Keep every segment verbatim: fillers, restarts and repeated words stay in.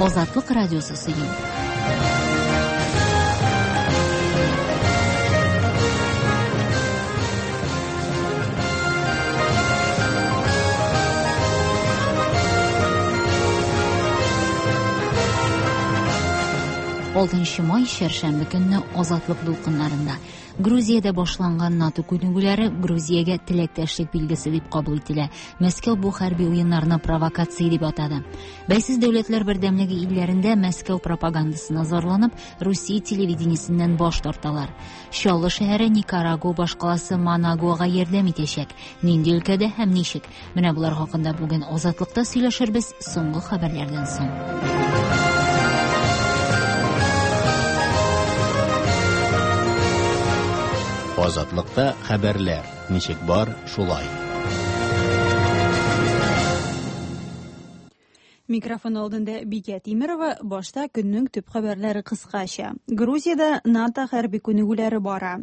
Азатлык радиосы сөйли. Алтынчы май чәршәмбе көнне Азатлык дулкыннарында Грузиядә башланган НАТО күнегүләре Грузиягә теләктәшлек билгесе дип кабул ителә. Мәскәү бу хәрби уеннарны провокация дип атады. Бәйсез дәүләтләр бердәмлеге илләрендә Мәскәү пропагандасына зарланып, Русия телевидениесеннән баш тарталар. Чаллы шәһәре Никарагуа башкаласы Манагуага ярдәм итәчәк. Нинди өлкәдә һәм ничек? Менә болар хакында бүген Азатлыкта сөйләшербез соңгы хәбәрләрдән соң. Азатлыкта хәбәрләр ничек бар, шулай. Микрофон алдында Бикә Тимирова, башта көннең төп хәбәрләре кыскача. Грузиядә НАТО хәрби күнегүләре бара.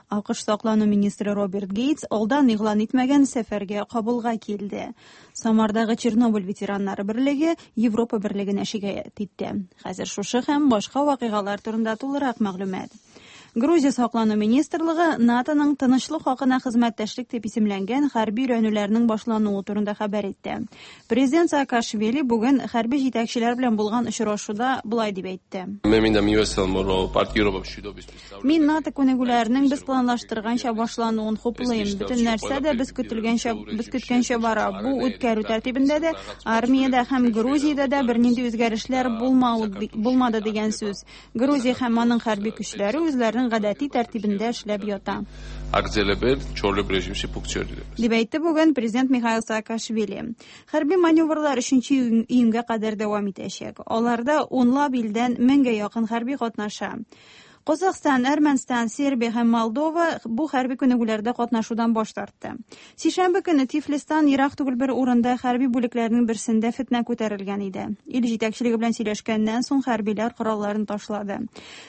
АКШ саклану министры Роберт Гейтс алдан игълан итмәгән сәфәргә Кабулга килде. Самардагы Чернобыль ветераннары берлеге Европа берлегенә шикаять итте. Хәзер шушы һәм башка вакыйгалар турында тулырак мәгълүмат. Грузия саклану министрлыгы НАТОның тынычлык хакына хезмәттәшлек дип исемләнгән хәрби өйрәнүләрнең башлануы турында хәбәр итте. Президент Саакашвили бүген хәрби җитәкчеләр белән булган очрашуда болай дип әйтте. Мин НАТО күнегүләренең без планлаштырганча башлануын хуплыйм. Бөтен нәрсә дә без көтелгәнчә, без көткәнчә бара. Бу үткәрү тәртибендә дә, армиядә һәм Грузиядә дә бернинди үзгәрешләр булмады дигән сүз. Грузия һәм аның хәрби көчләре үзләренең гадәти тәртибендә эшләп ята. Дип әйтте бүген президент Михаил Саакашвили. Хәрби маневрлар өченче июньгә кадәр дәвам итәчәк. Аларда унлап илдән меңгә якын хәрби катнаша. Казахстан, Әрмәнстан, Сербия һәм Молдова бу хәрби күнегүләрдә катнашудан баш тартты. Сишәмбе көне Тифлистан ерак түгел бер урында хәрби бүлекләрнең берсендә фетнә күтәрелгән иде. Ил җитәкчелеге белән сөйләшкәннән соң хәрбиләр коралларын ташлады.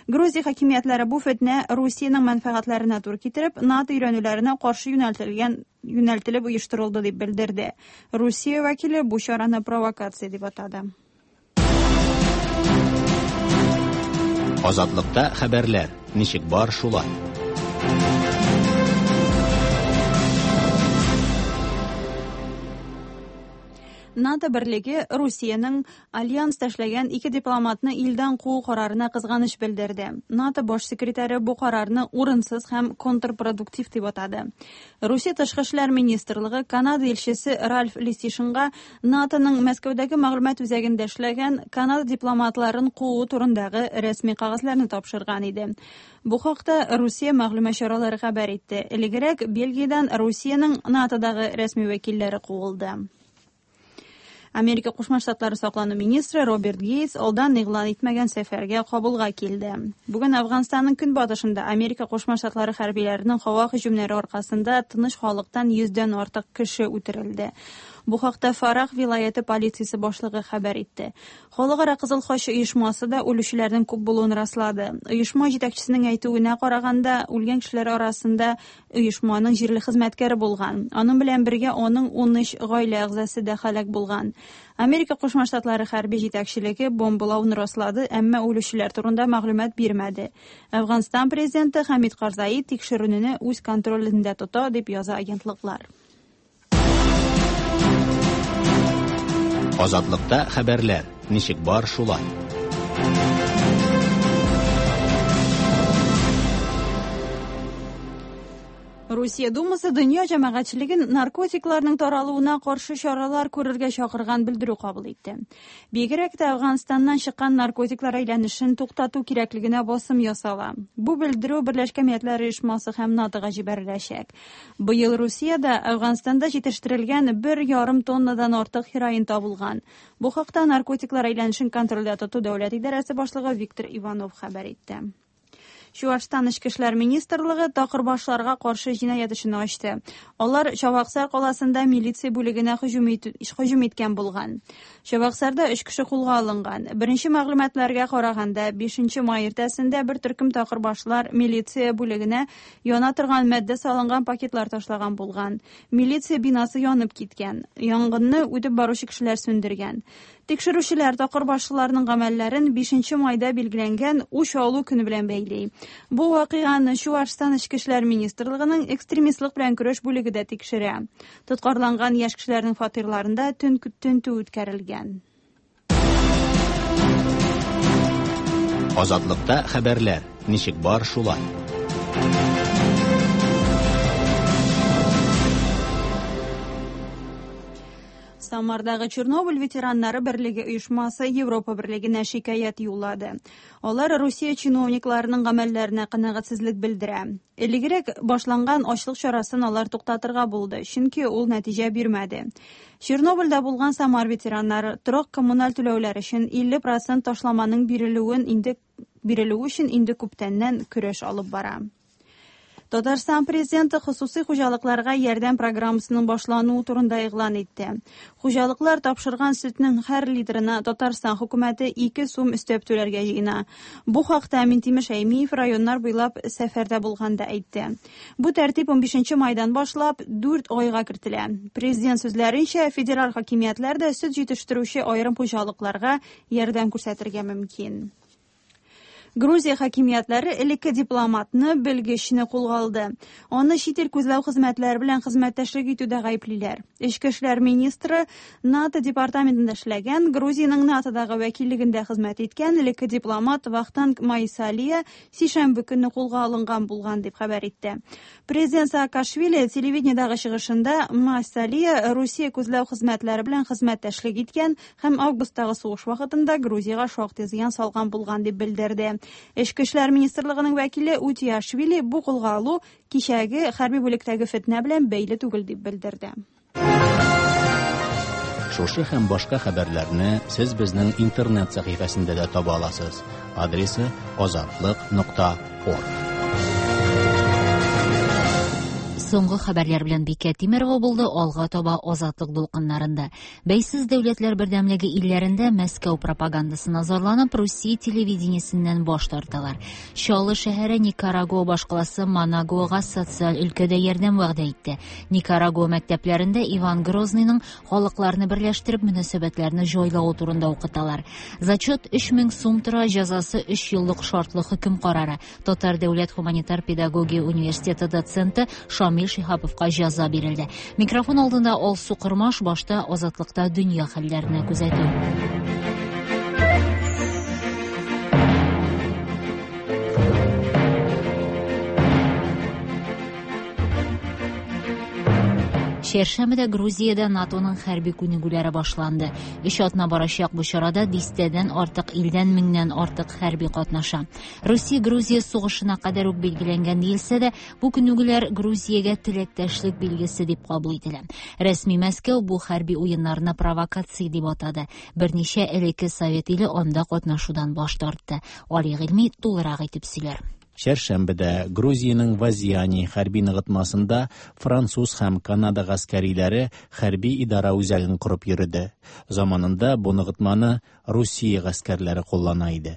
Грузия хакимиятләре бу фетнә Русиянең мәнфәгатьләренә туры китереп, НАТО өйрәнүләренә каршы юнәлтелгән юнәлтелеп оештырылды дип белдерде. Русия вәкиле бу чараны провокация дип атады. Азатлыкта хәбәрләр ничек бар, шулай. НАТО берлеге Русиянең альянста эшләгән ике дипломатны илдән куу карарына кызганыч белдерде. НАТО баш секретаре бу карарны урынсыз һәм контрпродуктив дип атады. Русия тышкы эшләр министрлыгы Канада илчесе Ральф Лисишинга НАТОның Мәскәүдәге мәгълүмат үзәгендә эшләгән Канада дипломатларын куу турындагы рәсми кәгазьләрне тапшырган иде. Бу хакта Русия мәгълүмат чаралары хәбәр итте. Элегрәк Бельгиядән Русиянең НАТОдагы рәсми вәкилләре куылды. Америка Кушма Штатлары саклану министры Роберт Гейтс алдан игълан итмәгән сәфәргә Кабулга килде. Бүген Афганстанның көнбатышында Америка Кушма Штатлары хәрбиләренең һава һөҗүмнәре аркасында тыныч халыктан йөздән артык кеше үтерелде. Бу хакта Фарах вилаяте полициясе башлыгы хәбәр итте. Халыкара Кызыл Хач оешмасы да үлүчеләрнең күп булуын раслады. Оешма җитәкчесенең әйтүенә караганда, үлгән кешеләр арасында оешманың җирле хезмәткәре булган. Аның белән бергә аның ун өч гаилә әгъзасы да һәлак булган. Америка Кушма Штатлары хәрби җитәкчелеге бомбалауны раслады, әмма үлүчеләр турында мәгълүмат бирмәде. Афганстан президенты Хамид Карзаи тикшерүне үз контролендә тота, дип яза агентлыклар. Азатлыкта хәбәрләр ничек бар, шулай. Русия Думасы дөнья җәмәгатьчелеген наркотикларның таралуына каршы чаралар күрергә чакырган белдерү кабул итте. Бигрәк тә Афганстаннан чыккан наркотиклар әйләнешен туктату кирәклегенә басым ясала. Бу белдерү Берләшкән Милләтләр Оешмасы һәм НАТОга җибәреләчәк. Быел Русиядә Афганстанда җитештерелгән бер ярым тоннадан артык хероин табылган. Бу хакта наркотиклар әйләнешен контрольдә тоту дәүләт идарәсе башлыгы Виктор Иванов хәбәр итте. Чуашстан Эчке эшләр министрлыгы такырбашларга каршы җинаять эшен ачты. Алар Чабаксар каласында милиция бүлегенә һөҗүм иткән булган. Чабаксарда өч кеше кулга алынган. Беренче мәгълүматларга караганда, бишенче май иртәсендә бер төркем такырбашлар милиция бүлегенә яна торган матдә салынган пакетлар ташлаган булган. Милиция бинасы янып киткән. Янгынны үтеп баручы кешеләр сүндергән. Тикшерүчеләр такырбашлыларның гамәлләрен бишенче майда билгеләнгән үч алу көне белән бәйли. Бу вакыйганы Чуашстан Эчке эшләр министрлыгының экстремистлык белән көрәш бүлеге дә тикшерә. Тоткарланган яшь кешеләрнең фатирларында төн тентү үткәрелгән. Азатлыкта хәбәрләр ничек бар шулай. Самардагы Чернобыль ветераннары берлеге оешмасы Европа берлегенә шикаять юллады. Алар Русия чиновникларының гамәлләренә канәгатьсезлек белдерә. Элегрәк башланган ачлык чарасын алар туктатырга булды, чөнки ул нәтиҗә бирмәде. Чернобыльдә булган Самар ветераннары торак коммуналь түләүләр өчен илле процент ташламаның бирелүен инде бирелүе өчен инде күптәннән көрәш алып бара. Татарстан президенты хосусый хуҗалыкларга ярдәм программасының башлануы турында игълан итте. Хуҗалыклар тапшырган сөтнең һәр литрына Татарстан хөкүмәте ике сум өстәп түләргә җыена. Бу хакта Минтимер Шәймиев районнар буйлап сәфәрдә булганда әйтте. Бу тәртип унбишенче майдан башлап дүрт айга кертелә. Президент сүзләренчә, федераль хакимиятләр дә сөт җитештерүче аерым хуҗалыкларга ярдәм күрсәтергә мөмкин. Грузия хакимиятләре элекке дипломатны, белгечне кулга алды. Аны чит ил күзләү хезмәтләре белән хезмәттәшлек итүдә гаеплиләр. Эчке эшләр министры НАТО департаментында эшләгән, Грузиянең НАТОдагы вәкиллегендә хезмәт иткән элекке дипломат Вахтанг Майсалия сишәмбе көнне кулга алынган булган дип хәбәр итте. Президент Саакашвили телевидениедагы чыгышында Майсалия Русия күзләү хезмәтләре белән хезмәттәшлек иткән һәм августтагы сугыш вакытында Грузиягә шактый зыян салган булган дип белдерде. Эчке эшләр министрлыгының вәкиле Утиашвили бу кулга алу кичәге хәрби бүлектәге фетнә белән бәйле түгел дип белдерде. Шушы һәм башка хәбәрләрне сез безнең интернет сәхифәсендә дә таба аласыз. Адресы азатлык нокта орг. Соңгы хәбәрләр белән Бикә Тимерова булды. Алга таба Азатлык дулкыннарында. Бәйсез дәүләтләр бердәмлеге илләрендә Мәскәү пропагандасына зарланып, Русия телевидениесеннән баш тарталар. Чаллы шәһәре Никарагуа башкаласы Манагуага социаль өлкәдә ярдәм вәгъдә итте. Никарагуа мәктәпләрендә Иван Грозныйның халыкларны берләштереп мөнәсәбәтләрне җайлавы турында укыталар. Зачет өч мең сум тора, җәзасы өч еллык шартлы хөкем карары. Татар дәүләт гуманитар педагогия университеты доценты Шамил Шиһаповка җәза бирелде. Микрофон алдында Алсу Кырмаш, башта Азатлыкта дөнья хәлләренә күзәтү. Чәршәмбедә Грузиядә НАТОның хәрби күнегүләре башланды. Өч атна барачак бу чарада дистәдән артык илдән меңнән артык хәрби катнаша. Русия Грузия сугышына кадәр үк билгеләнгән диелсә дә, бу күнегүләр Грузиягә теләктәшлек билгесе дип кабул ителә. Рәсми Мәскәү бу хәрби уеннарны провокация дип атады. Берничә элекке совет иле анда катнашудан баш тартты. Али Гыйльми тулырак итеп сөйләр. Чәршәмбедә Грузиянең Вазиани хәрби ныгытмасында француз һәм Канада гаскәриләре хәрби идара үзәген корып йөрде. Заманында бу ныгытманы Русия гаскәрләре куллана иде.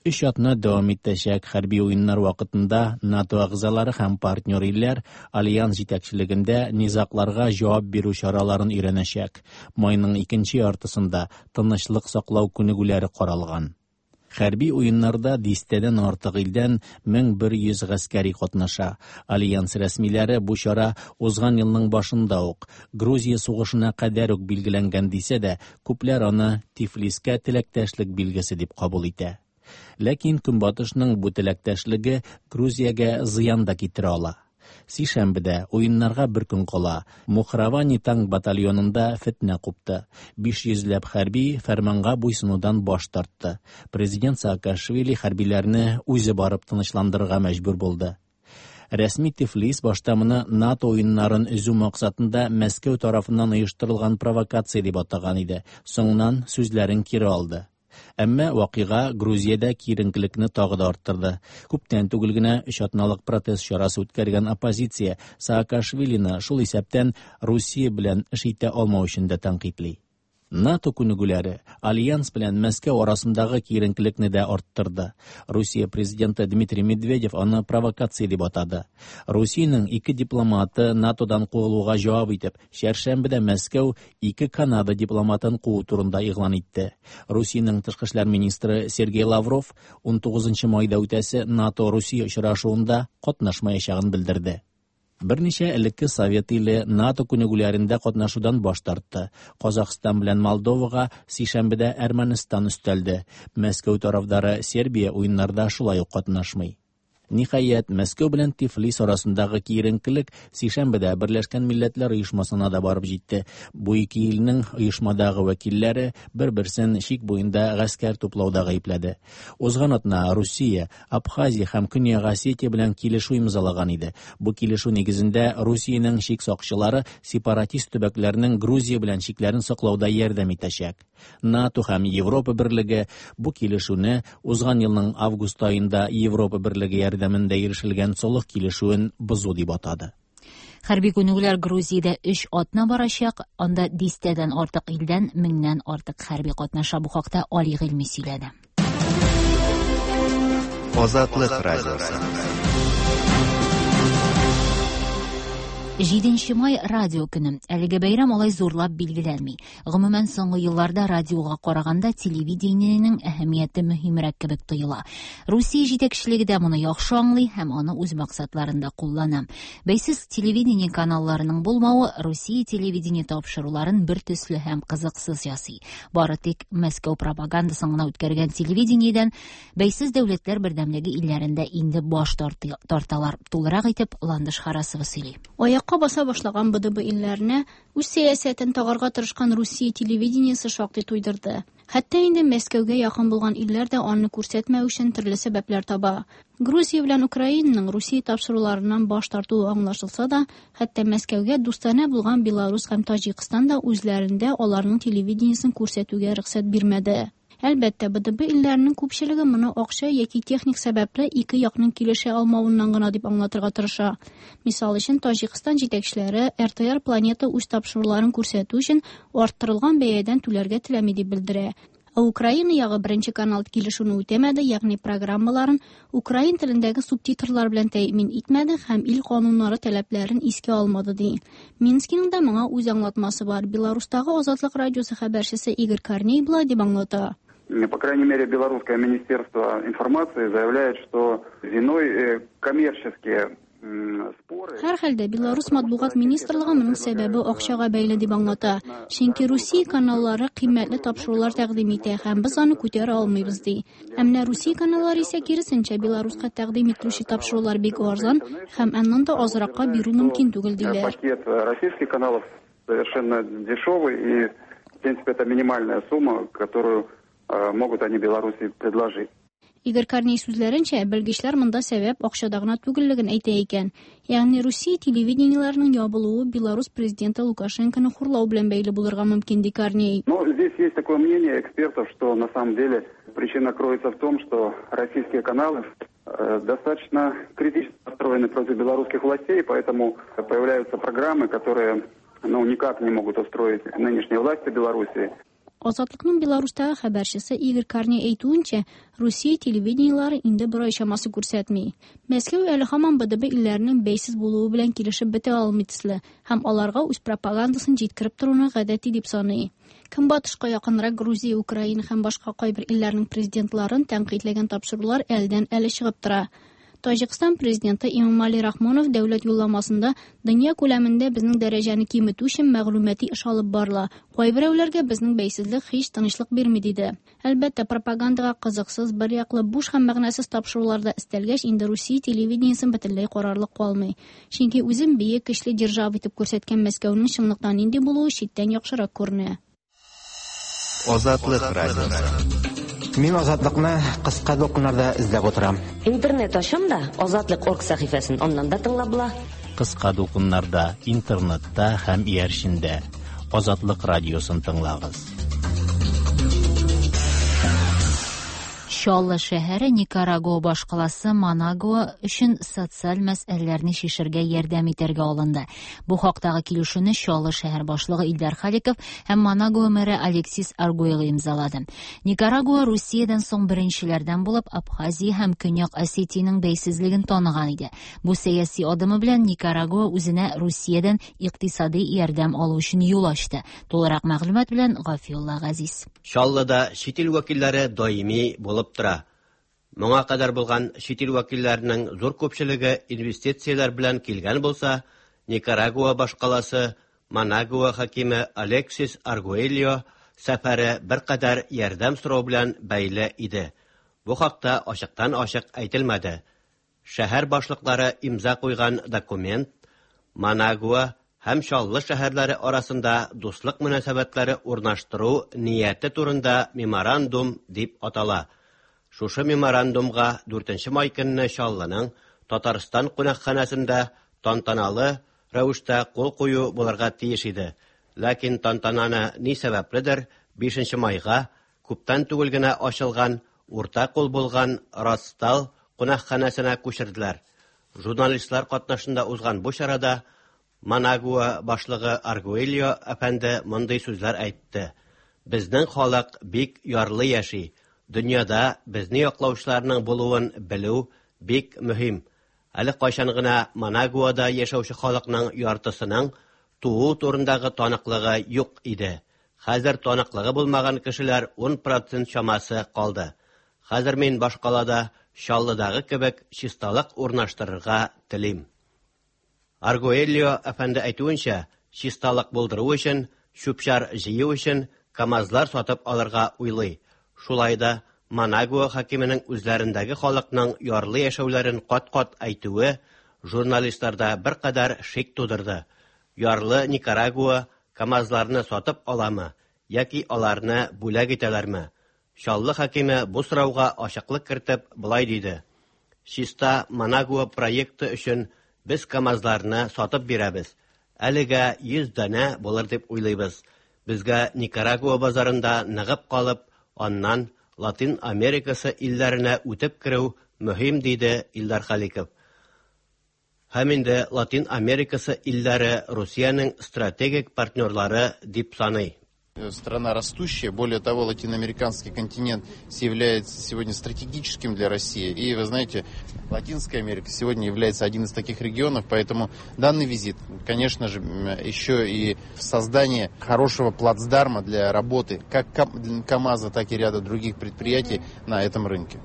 Өч атна дәвам итәчәк хәрби уеннар вакытында НАТО әгъзалары һәм партнер илләр альянс җитәкчелегендә низагларга җавап бирү чараларын өйрәнәчәк. Майның икенче яртысында тынычлык саклау күнегүләре каралган. Хәрби уеннарда дистәдән артык илдән мең бер йөз гаскәри катнаша. Альянс рәсмиләре бу чара узган елның башында ук Грузия сугышына кадәр үк билгеләнгән дисә дә, күпләр аны Тифлискә теләктәшлек билгесе дип кабул итә. Ләкин Көнбатышның бу теләктәшлеге Грузиягә зыян да китерә ала. Сишәмбедә уеннарга бер көн кала Мухравани танк батальонында фетнә купты. Биш йөзләп хәрби фәрманга буйсынудан баш тартты. Президент Саакашвили хәрбиләрне үзе барып тынычландырырга мәҗбүр булды. Рәсми Тифлис башта моны НАТО уеннарын өзү максатында Мәскәү тарафыннан оештырылган провокация дип атаган иде. Соңыннан сүзләрен кире алды. Әмма вакыйга Грузиядә киеренкелекне тагы да арттырды. Күптән түгел генә өч атналык протест чарасы үткәргән оппозиция Саакашвилины шул исәптән Русия белән эш итә алмау өчен дә тәнкыйтьли. НАТО күнегүләре Альянс белән Мәскәү арасындагы киеренкелекне дә арттырды. Русия президенты Дмитрий Медведев аны провокация дип атады. Русиянең ике дипломаты НАТОдан куылуга җавап итеп, чәршәмбедә Мәскәү ике Канада дипломатын куу турында игълан итте. Русиянең тышкы эшләр министры Сергей Лавров унтугызынчы майда үтәсе НАТО-Русия очрашуында катнашмаячагын белдерде. Берничә элекке Совет иле НАТО күнегүләрендә катнашудан баш тартты. Казахстан белән Молдовага сишәмбедә Әрмәнстан өстәлде. Мәскәү тарафдары Сербия уеннарда шулай ук катнашмый. Ниһаять, Мәскәү белән Тифлис арасындагы киеренкелек сишәмбедә Берләшкән Милләтләр Оешмасына да барып җитте. Бу ике илнең оешмадагы вәкилләре бер-берсен чик буенда гаскәр туплауда гаепләде. Узган атна Русия, Абхазия һәм Көньяк Осетия белән килешү имзалаган иде. Бу килешү нигезендә Русиянең чик сакчылары сепаратист төбәкләрнең Грузия белән чикләрен саклауда ярдәм итәчәк. НАТО һәм Европа Берлеге бу килешүне узган елның август аенда Европа Берлеге ярдәмендә ирешелгән солых килешүен бозу дип атады. Хәрби күнегүләр Грузиядә өч атна барачак, анда дистәдән артык илдән меңнән артык хәрби катнаша. Бу хакта Али Гыйльми сөйләде. Азатлык радиосы. Җиденче май радио көне. Әлеге бәйрәм алай зурлап билгеләнми. Гомумән, соңгы елларда радиога караганда телевидениенең әһәмияте мөһимрәк кебек тоела. Русия җитәкчелеге дә моны яхшы аңлый һәм аны үз максатларында куллана. Бәйсез телевидение каналларының булмавы Русия телевидение тапшыруларын бер төсле һәм кызыксыз ясый. Бары тик Мәскәү пропагандасын гына үткәргән телевидениедән бәйсез дәүләтләр бердәмлеге илләрендә инде баш тарталар. Тулырак итеп Ландыш Харасова сөйли. Аякка баса башлаган Б Д Б илләренә үз сәясәтен тагарга тырышкан Русия телевидениесе шактый туйдырды. Хәтта инде Мәскәүгә якын булган илләр дә аны күрсәтмәү өчен төрле сәбәпләр таба. Грузия белән Украинаның Русия тапшыруларыннан баш тартуы аңлашылса да, хәтта Мәскәүгә дустанә булган Беларус һәм Таҗикстан да үзләрендә аларның телевидениесен күрсәтүгә рөхсәт бирмәде. Әлбәттә, Б Д Б илләренең күпчелеге моны акча яки техник сәбәпле ике якның килешә алмавыннан гына дип аңлатырга тырыша. Мисал өчен, Таҗикстан җитәкчеләре Р Т Р Планета үз тапшыруларын күрсәтү өчен арттырылган бәядән түләргә теләми дип белдерә. Ә Украина ягы беренче канал килешүне үтәмәде, ягъни программаларын украин телендәге субтитрлар белән тәэмин итмәде һәм ил кануннары таләпләрен искә алмады ди. Минскиның да моңа үз аңлатмасы бар. Беларустагы Азатлык радиосы хәбәрчесе Игорь Корней болай дип аңлата. По крайней мере, Белорусское министерство информации заявляет, что виной коммерческие споры. Һәр хәлдә Белорус матбугат министрлыгы моның сәбәбе акчага бәйле дип аңлата. Чөнки Русия каналлары кыйммәтле тапшырулар тәкъдим итә һәм без аны күтәрә алмыйбыз ди. Ә менә Русия каналлары исә киресенчә Беларуска тәкъдим ителүче тапшырулар бик арзан һәм аннан да азракка бирү мөмкин түгел диләр. Пакет российских каналов совершенно дешевый и, в принципе, это минимальная сумма, которую могут они Беларуси предложить. Игорь Корней сүзләренчә, белгечләр монда сәбәп акчада гына түгеллеген әйтә икән. Ягъни Русия телевидениеләренең ябылуы Беларус президенты Лукашенконы хурлау белән бәйле булырга мөмкин, ди Корней. Но здесь есть такое мнение экспертов, что на самом деле причина кроется в том, что российские каналы достаточно критически настроены против белорусских властей, поэтому появляются программы, которые, ну, никак не могут устроить нынешние власти Беларуси. Азатлыкның Беларустагы хәбәрчесе Игорь Корней әйтүенчә, Русия телевидениеләре инде бер ай чамасы күрсәтми. Мәскәү әле һаман Б Д Б илләренең бәйсез булуы белән килешеп бетә алмый төсле һәм аларга үз пропагандасын җиткереп торуны гадәти дип саный. Көнбатышка якынрак Грузия, Украина һәм башка кайбер илләрнең президентларын тәнкыйтьләгән тапшырулар әлдән әле чыгып тора. Таҗикстан президенты Эмомали Рахмонов дәүләт юлламасында дөнья күләмендә безнең дәрәҗәне киметү өчен мәгълүмати эш алып барыла. Кайберәүләргә безнең бәйсезлек һич тынычлык бирми диде. Әлбәттә, пропагандага кызыксыз, бер яклы буш һәм мәгънәсез тапшыруларда өстәлгәч, инде Русия телевидениесен бөтенләй карарлык калмый. Чөнки үзен бөек көчле держава итеп күрсәткән Мәскәүнең чынлыкта нинди булуы читтән яхшырак күренә. Азатлык радиосы. Мин Азатлыкны кыска дулкыннарда эзләп утырам. Интернет ачам да Азатлык орг сәхифәсен аннан да тыңлап була. Кыска дулкыннарда, интернетта һәм иярчендә Азатлык радиосын тыңлагыз. Чаллы шәһәре Никарагуа башкаласы Манагуа өчен социаль мәсьәләләрне чишәргә ярдәм итәргә алынды. Бу хактагы килешүне Чаллы шәһәр башлыгы Илдар Халиков һәм Манагуа мэры Алексис Аргуэльо имзалады. Никарагуа Русиядән соң беренчеләрдән булып Абхазия һәм Көньяк Осетиянең бәйсезлеген таныган иде. Бу сәяси адымы белән Никарагуа үзенә Русиядән икътисади ярдәм алу өчен юл ачты. Тулырак мәгълүмат белән Гафиулла Газиз. Чаллыда чит ил вәкилләре даими булып тора. Моңа кадәр булган чит ил вәкилләренең зур күпчелеге инвестицияләр белән килгән булса, Никарагуа башкаласы Манагуа хакиме Алексис Аргуэльо сәфәре беркадәр ярдәм сорау белән бәйле иде. Бу хакта ачыктан-ачык әйтелмәде. Шәһәр башлыклары имза куйган документ Манагуа һәм Чаллы шәһәрләре арасында дуслык мөнәсәбәтләре урнаштыру нияте турында меморандум дип атала. Шушы меморандумга дүртенче май көнне Чаллының Татарстан кунакханәсендә тантаналы рәвештә кул кую булырга тиеш иде. Ләкин тантананы ни сәбәпледер бишенче майга күптән түгел генә ачылган урта кул булган Ростал кунакханәсенә күчерделәр. Журналистлар катнашында узган бу чарада Манагуа башлыгы Аргуэльо әфәнде мондый сүзләр әйтте. Безнең халык бик ярлы яши. Дөньяда безне яклаучыларның булуын белү бик мөһим. Әле кайчан гына Манагуада яшәүче халыкның яртысының туу турындагы таныклыгы юк иде. Хәзер таныклыгы булмаган кешеләр ун процент чамасы калды. Хәзер мин башкалада Чаллыдагы кебек чисталык урнаштырырга телим. Аргуэльо әфәнде әйтүенчә, чисталык булдыру өчен, чүп-чар җыю өчен КАМАЗлар сатып алырга уйлый. Шулай да Манагуа хакименең үзләрендәге халыкның ярлы яшәүләрен кат-кат әйтүе журналистларда беркадәр шик тудырды. Ярлы Никарагуа КАМАЗларны сатып аламы яки аларны бүләк итәләрме? Чаллы хакиме бу сорауга ачыклык кертеп болай диде: Чиста Манагуа проекты өчен без КАМАЗларны сатып бирәбез. Әлегә йөз данә булыр дип уйлыйбыз. Безгә Никарагуа базарында ныгып калып, аннан Латин Америкасы илләренә үтеп керү мөһим, диде Илдар Халиков. Һәм инде Латин Америкасы илләре Русиянең стратегик партнерлары дип саный. Страна растущая, более того, латиноамериканский континент является сегодня стратегическим для России. И вы знаете, Латинская Америка сегодня является одним из таких регионов, поэтому данный визит, конечно же, еще и в создании хорошего плацдарма для работы как КАМАЗа, так и ряда других предприятий на этом рынке.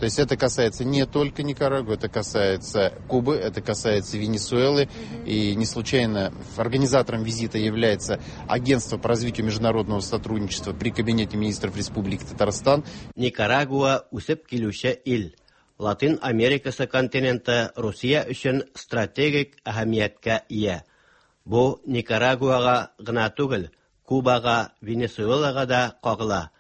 То есть это касается не только Никарагуа, это касается Кубы, это касается Венесуэлы. И не случайно организатором визита является Агентство по развитию международного сотрудничества при Кабинете министров Республики Татарстан. Никарагуа үсеп килүче ил. Латин Америкасы континенты Русия өчен стратегик әһәмияткә ия. Бу Никарагуага гына түгел, Кубага, Венесуэлага да кагыла.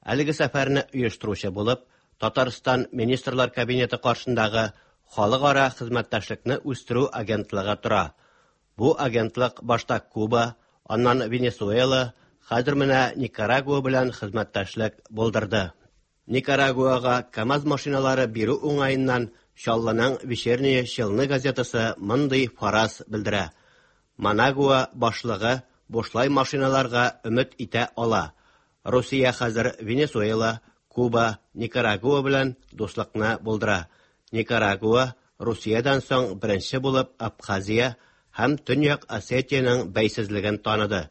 Әлеге сәфәрне оештыручы булып Татарстан Министрлар Кабинеты каршындагы халыкара хезмәттәшлекне үстерү агентлыгы тора. Бу агентлык башта Куба, аннан Венесуэла, хәзер менә Никарагуа белән хезмәттәшлек булдырды. Никарагуага КАМАЗ машиналары бирү уңаеннан Чаллының Вечерняя Челны газетасы мондый фараз белдерә. Манагуа башлыгы бушлай машиналарга өмет итә ала. Русия хәзер Венесуэла, Куба, Никарагуа белән дуслыкны булдыра. Никарагуа Русиядән соң беренче булып Абхазия һәм Төньяк Осетиянең бәйсезлеген таныды.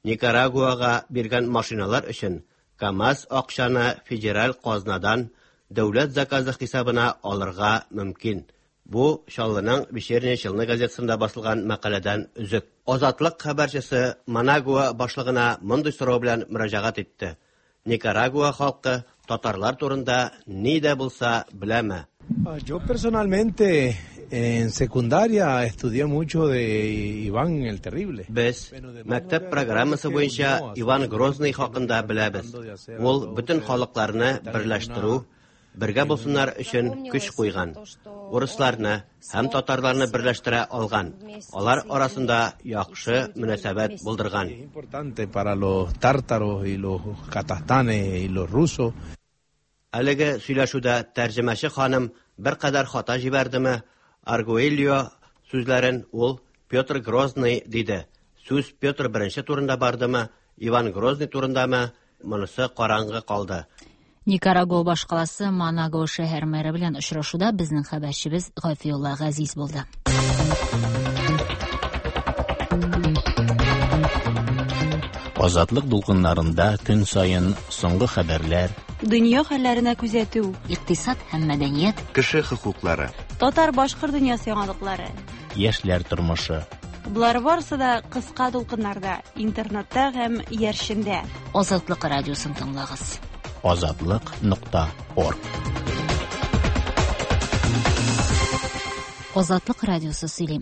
Никарагуага биргән машиналар өчен КАМАЗ акчаны федераль казнадан дәүләт заказы хисабына алырга мөмкин. Бу Чаллының Вечерняя Челны газетасында басылган мәкаләдән өзек. Азатлык хәбәрчесе Манагуа башлыгына мондый сорау белән мөрәҗәгать итте. Никарагуа халкы татарлар турында ни дә булса беләме? Yo personalmente en secundaria estudié mucho de Iván el Terrible. Без мәктәп программасы буенча Иван Грозный хакында беләбез. Ул бөтен халыкларны берләштерү, бергә булсыннар өчен көч куйган. Урысларны һәм татарларны берләштерә алган. Алар арасында яхшы мөнәсәбәт булдырган. Importante para los tártaros y los kazajstanes y los rusos. Әлеге сөйләшүдә тәрҗемәче ханым беркадәр хата җибәрдеме, Аргуэльо сүзләрен ул Петр Грозный диде. Сүз Петр Беренче турында бардымы, Иван Грозный турындамы, монысы караңгы калды. Никарагуа башкаласы Манагуа шәһәр мэры белән очрашуда безнең хәбәрчебез Гафиулла Газиз булды. Азатлык дулкыннарында көн саен соңгы хәбәрләр, дөнья хәлләренә күзәтү, икътисад һәм мәдәният, кеше хокуклары, татар-башкорт дөньясы яңалыклары, яшьләр тормышы. Болар барысы да кыска дулкыннарда, интернетта һәм иярчендә. Азатлык радиосын тыңлагыз. Азатлык нокта орг. Азатлык радиосы сөйли.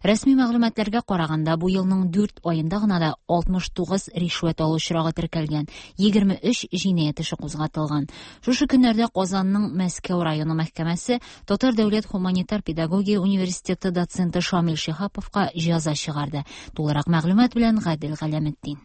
Рәсми мәгълүматларга караганда, бу елның дүрт аенда гына да алтмыш тугыз ришвәт алу очрагы теркәлгән, егерме өч җинаять эше кузгатылган. Шушы көннәрдә Казанның Мәскәү районы мәхкәмәсе Татар дәүләт гуманитар педагогия университеты доценты Шамил Шиһаповка җәза чыгарды. Тулырак мәгълүмат белән Гадел Галәметдин.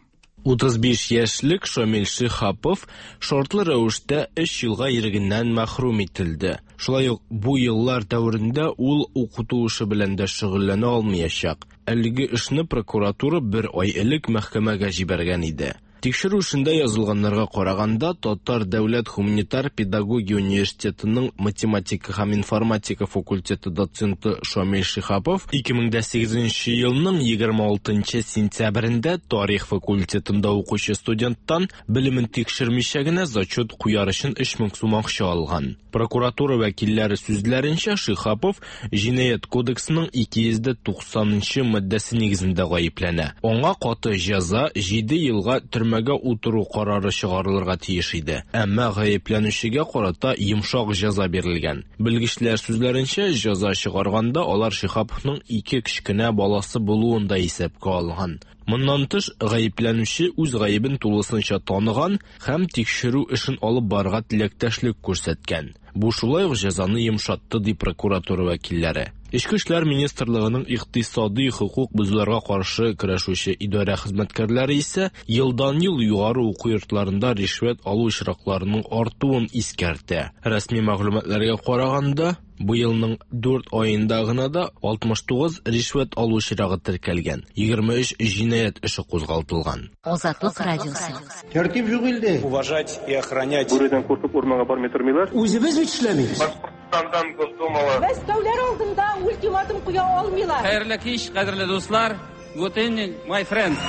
Утыз биш яшьлек Шамил Шиһапов шартлы рәвештә өч елга ирегеннән мәхрүм ителде. Шулай ук бу еллар дәверендә ул укыту эше белән дә шөгыльләнә алмаячак. Әлеге эшне прокуратура бер ай элек мәхкәмәгә җибәргән иде. Тикшерү эшендә язылганнарга караганда, Татар дәүләт гуманитар педагогия университетының математика һәм информатика факультеты доценты Шамил Шиһапов ике мең дә сигезенче елның егерме алтынчы сентябрендә тарих факультетында укучы студенттан белемен тикшермичә генә зачет куяр өчен өч мең сум акча алган. Прокуратура вәкилләре сүзләренчә, Шиһапов җинаять кодексының ике йөз дә туксанынчы маддәсе нигезендә гаепләнә. Аңа каты җәза җиде елга төрмә утыру карары чыгарылырга тиеш иде. Әмма гаепләнүчегә карата йомшак җәза бирелгән. Белгечләр сүзләренчә, җәза чыгарганда алар Шиһаповның ике кечкенә баласы булуын да исәпкә алган. Моннан тыш, гаепләнүче үз гаебен тулысынча таныган һәм тикшерү эшен алып барырга теләктәшлек күрсәткән. Бу шулай ук җәзаны йомшатты, ди прокуратура вәкилләре. Эчке эшләр министрлыгының икътисади хокук бозуларга каршы көрәшүче идарә хезмәткәрләре исә елдан-ел югары уку йортларында ришвәт алу очракларының артуын искәртә. Рәсми мәгълүматларга караганда, бу елның дүрт аенда гына да алтмыш тугыз ришвәт алу очрагы теркәлгән, егерме өч җинаять эше кузгатылган. Азатлык радиосы. Тәртип юк илдә. Уважать и охранять. Бүредән куркып урманга бармый тормыйлар. Үзебез бит эшләмибез. Башкортстандан Госдумага. Мәскәүләр алдында ультиматум куя алмыйлар. Хәерле кич, кадерле дуслар. Good evening, my friends.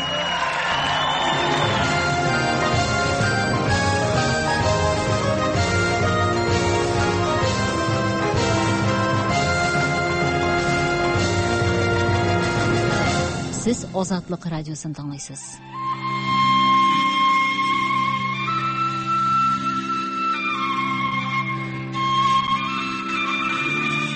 Сез Азатлык радиосын тыңлыйсыз.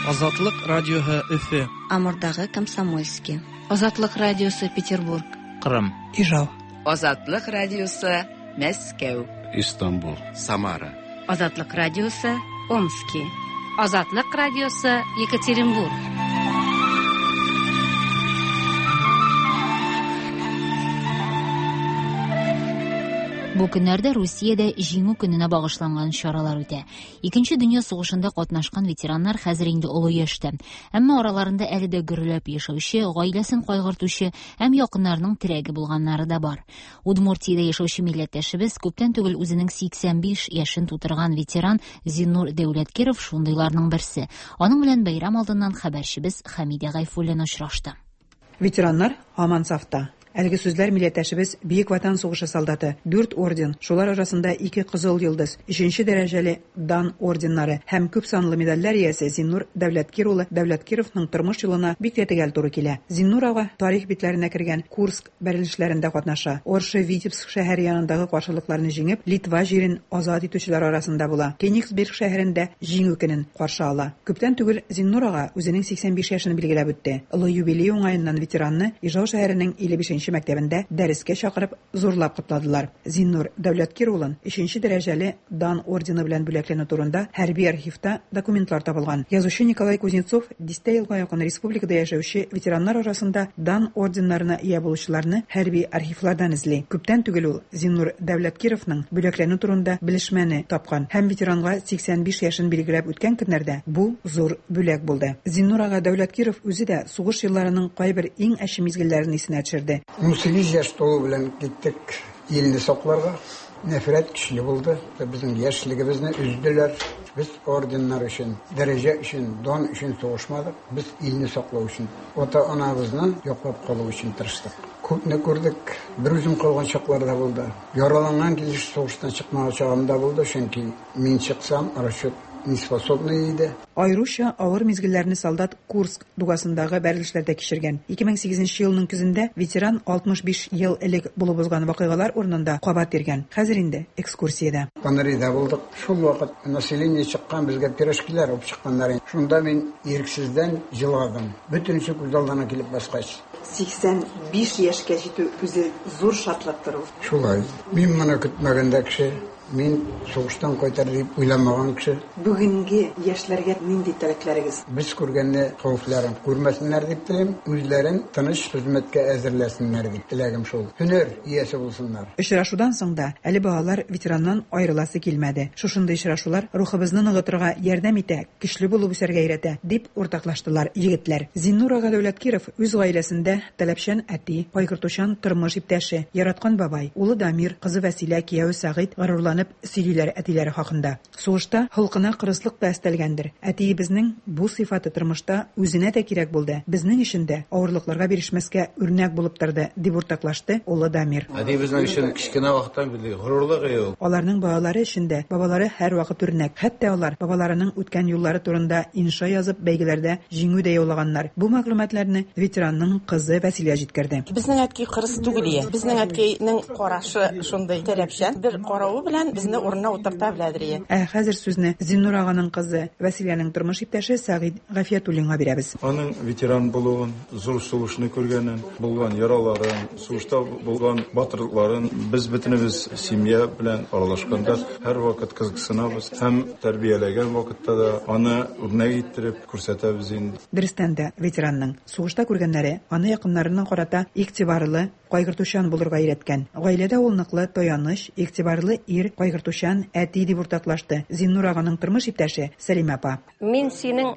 Азатлык радиосы Өфе. Амурдагы Комсомольский. Азатлык радиосы Петербург. Кырым. Ижау. Азатлык радиосы Мәскәү. Истанбул. Самара. Азатлык радиосы Омски. Азатлык радиосы Екатеринбург. Бу көннәрдә Русиядә Җиңү көненә багышланган чаралар үтә. Икенче дөнья сугышында катнашкан ветераннар хәзер инде олы яшьтә. Әмма араларында әле дә гөрләп яшәүче, гаиләсен кайгыртучы һәм якыннарының терәге булганнары да бар. Удмуртиядә яшәүче милләттәшебез күптән түгел үзенең сиксән биш яшен тутырган ветеран Зиннур Дәүләткиров шундыйларның берсе. Аның белән бәйрәм алдыннан хәбәрчебез Хәмидә Гайфуллина очрашты. Ветераннар һаман сафта. Әлеге сүзләр милләттәшебез Бөек Ватан сугышы солдаты, дүрт орден, шулар арасында ике кызыл йолдыз, өченче дәрәҗәле Дан орденнары һәм күп санлы медальләр иясе Зиннур Дәүләткир улы Дәүләткировның тормыш юлына бик тә төгәл туры килә. Зиннур ага тарих битләренә кергән Курск бәрелешләрендә катнаша. Оршы Витебск шәһәре янындагы каршылыкларны җиңеп, Литва җирен азат итүчеләр арасында була. Кенигсберг шәһәрендә Җиңү көнен каршы ала. Күптән түгел Зиннур ага үзенең сиксән биш яшен билгеләп үтте. Олы юбилей уңаеннан ветеранны Ижау шәһәренең илле бишенче беренче мәктәбендә дәрескә чакырып зурлап котладылар. Зиннур Дәүләткир улын өченче дәрәҗәле Дан ордены белән бүләкләнү турында хәрби архивта документлар табылган. Язучы Николай Кузнецов дистә елга якын республикада яшәүче ветераннар арасында Дан орденнарына ия булучыларны хәрби архивлардан эзли. Күптән түгел ул Зиннур Дәүләткировның бүләкләнү турында белешмәне тапкан һәм ветеранга сиксән биш яшен билгеләп үткән көннәрдә бу зур бүләк булды. Зиннур ага Дәүләткиров үзе дә сугыш елларының кайбер иң әче мизгелләрен исенә төшерде. ун сигез яшь тулу белән киттек илне сакларга. Нәфрәт көчле булды. Безнең яшьлегебезне өзделәр. Без орденнар өчен, дәрәҗә өчен, дан өчен сугышмадык. Без илне саклау өчен, ата-анабызны яклап калу өчен тырыштык. Күпне күрдек. Бер үзем калган чаклар да булды. Яраланган килеш сугыштан чыкмаган чагым да булды, чөнки мин чыксам, расчет неспособный иде. Аеруча авыр мизгелләрне солдат Курск дугасындагы бәрелешләрдә кичергән. ике мең сигезенче елның көзендә ветеран алтмыш биш ел элек булып узган вакыйгалар урынында кабат йөргән. Хәзер инде экскурсиядә. Панрида булдык. Шул вакыт население чыккан, безгә пирожкилар алып чыкканнар. Шунда мин ирексездән җыладым. Бөтенесе күз алдына килеп баскач. сиксән биш яшькә җитү үзе зур шатлыктыр ул. Шулай. Мин моны көтмәгәндә кеше, мин сугыштан кайтар дип уйламаган кеше. Бүгенге яшьләргә нинди теләкләрегез? Без күргәнне хәвефләрен күрмәсеннәр дип телим, үзләрен тыныч хезмәткә әзерләсеннәр дип теләгем шул. Һөнәр иясе булсыннар. Очрашудан соң да әле балалар ветераннан аерыласы килмәде. Шушындый очрашулар рухыбызны ныгытырга ярдәм итә, көчле булып үсәргә өйрәтә, дип уртаклаштылар егетләр. Зиннур ага Дәүләткиров үз гаиләсендә таләпчән әти, кайгыртучан тормыш иптәше, яраткан бабай, улы Дамир, кызы Вәсилә, кияве Сәгыйть горурланып сөйлиләр әтиләре хакында. Сугышта холкына кырыслык та өстәлгәндер. Әтиебезнең бу сыйфаты тормышта үзенә дә кирәк булды. Безнең өчен дә авырлыкларга бирешмәскә үрнәк булып торды, дип уртаклашты улы Дамир. Әтиебезнең өчен кечкенә вакыттан бирле горурлык ул. Аларның балалары өчен дә бабалары һәрвакыт үрнәк. Хәтта алар бабаларының үткән юллары турында инша язып бәйгеләрдә җиңү дә яулаганнар. Бу мәгълүматларны ветеранның кызы Вәсилә җиткерде. Безнең әткәй кырыс түгел ие. Безнең әткәйнең карашы шундый таләпчән. Бер каравы белән безне урынына утырта беләдер ие. Ә хәзер сүзне Зиннур аганың кызы Вәсиләнең тормыш иптәше Сәгыйть Гафиятуллинга бирәбез. Аның ветеран булуын, зур сугышны күргәнен, булган яраларын, сугышта булган батырлыкларын без бөтенебез семья белән аралашканда һәрвакыт кызыксынабыз һәм тәрбияләгән вакытта да аны үрнәк иттереп күрсәтәбез инде. Дөрестән дә ветеранның сугышта күргәннәре аны якыннарына карата игътибарлы, кайгыртучан булырга өйрәткән. Гаиләдә ул ныклы таяныч, игътибарлы ир, кайгыртучан әти дип уртаклашты Зиннур аганың тормыш иптәше Сәлимә апа. Мин синең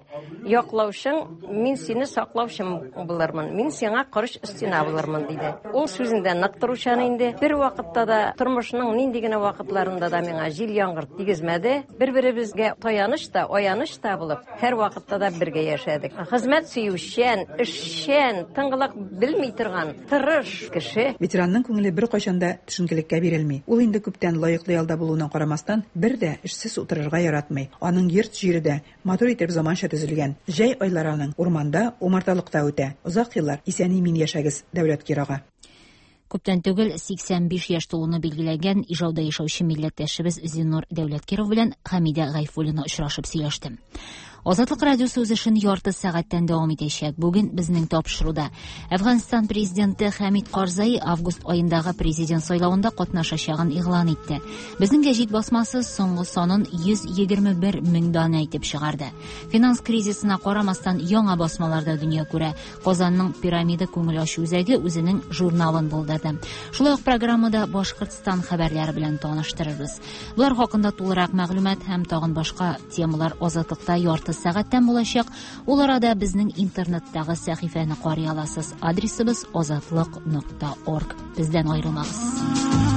яклаучың, мин сине саклаучым булырмын. Мин сиңа корыч стена булырмын, диде. Ул сүзендә нык торучан инде. Бер вакытта да тормышның нинди генә вакытларында да миңа җил яңгыр тигезмәде. Бер-беребезгә таяныч та, аяныч та булып, һәр вакытта да бергә яшәдек. Хезмәт сөючән, эшчән, тынгылык белми торган, тырыш кеше. Ветеранның күңеле бер кайчан да төшенкелеккә бирелми. Ул инде күптән лаеклы ялда булуына карамастан, бер дә эшсез утырырга яратмый. Аның йорт җире дә матур итеп заманча төзелгән. Җәй айлары аның урманда, умарталыкта үтә. Озак еллар исән-имин яшәгез, Дәүләткир ага. Күптән түгел сиксән биш яшь тулуны билгеләгән Ижауда яшәүче милләттәшебез Зиннур Дәүләткиров белән Хәмидә Гайфуллина очрашып сөйләште. Азатлык радиосы үз эшен ярты сәгатьтән дәвам итәчәк. Бүген безнең тапшыруда Әфганстан президенты Хәмид Карзай август аендагы президент сайлавында катнашачагын игълан итте. Безнең гәҗит басмасы соңгы санын йөз егерме бер мең данә итеп чыгарды. Финанс кризисына карамастан яңа басмаларда дөнья күрә. Казанның пирамида күңел ачу үзәге үзенең журналын булдырды. Шулай ук программада Башкортстан хәбәрләре белән таныштырырбыз. Булар хакында тулырак мәгълүмат һәм тагын башка темалар Азатлыкта ярты сәгатьтән булачак. Ул арада безнең интернеттагы сәхифәне карый аласыз. Адресыбыз азатлык нокта орг. Бездән аерылмагыз.